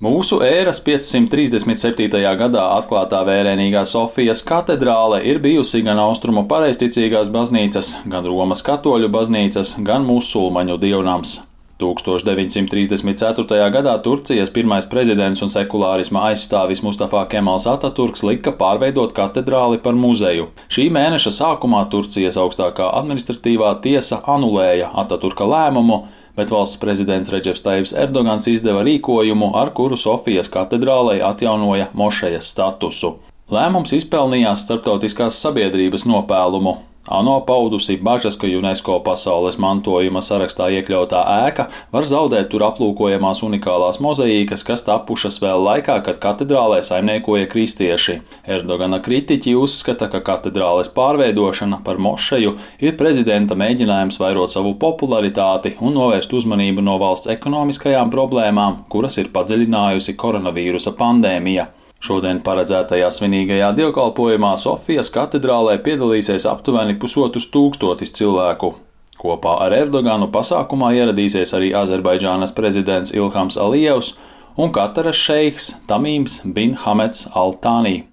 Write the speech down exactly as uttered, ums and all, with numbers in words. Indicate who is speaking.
Speaker 1: Mūsu ēras piecsimt trīsdesmit septītajā gadā atklātā vērienīgā Sofijas katedrāle ir bijusi gan austrumu pareizticīgās baznīcas, gan Romas katoļu baznīcas, gan musulmaņu dievnams. tūkstoš deviņsimt trīsdesmit ceturtajā gadā Turcijas pirmais prezidents un sekulārisma aizstāvis Mustafa Kemals Ataturks lika pārveidot katedrāli par muzeju. Šī mēneša sākumā Turcijas augstākā administratīvā tiesa anulēja Ataturka lēmumu, bet valsts prezidents Redžeps Tajibs Erdogans izdeva rīkojumu, ar kuru Sofijas katedrālei atjaunoja mošejas statusu. Lēmums izpelnījās starptautiskās sabiedrības nopēlumu. ANO paudusi bažas, ka UNESCO pasaules mantojuma sarakstā iekļautā ēka var zaudēt tur aplūkojamās unikālās mozaīkas, kas tapušas vēl laikā, kad katedrālē saimniekoja kristieši. Erdogana kritiķi uzskata, ka katedrāles pārveidošana par mošeju ir prezidenta mēģinājums vairot savu popularitāti un novērst uzmanību no valsts ekonomiskajām problēmām, kuras ir padziļinājusi koronavīrusa pandēmija. Šodien paredzētajā svinīgajā dievkalpojumā Sofijas katedrālē piedalīsies aptuveni pusotrs tūkstotis cilvēku. Kopā ar Erdoganu pasākumā ieradīsies arī Azerbaidžānas prezidents Ilhams Alijevs un Kataras šeiks Tamīms bin Hameds Al Tānī.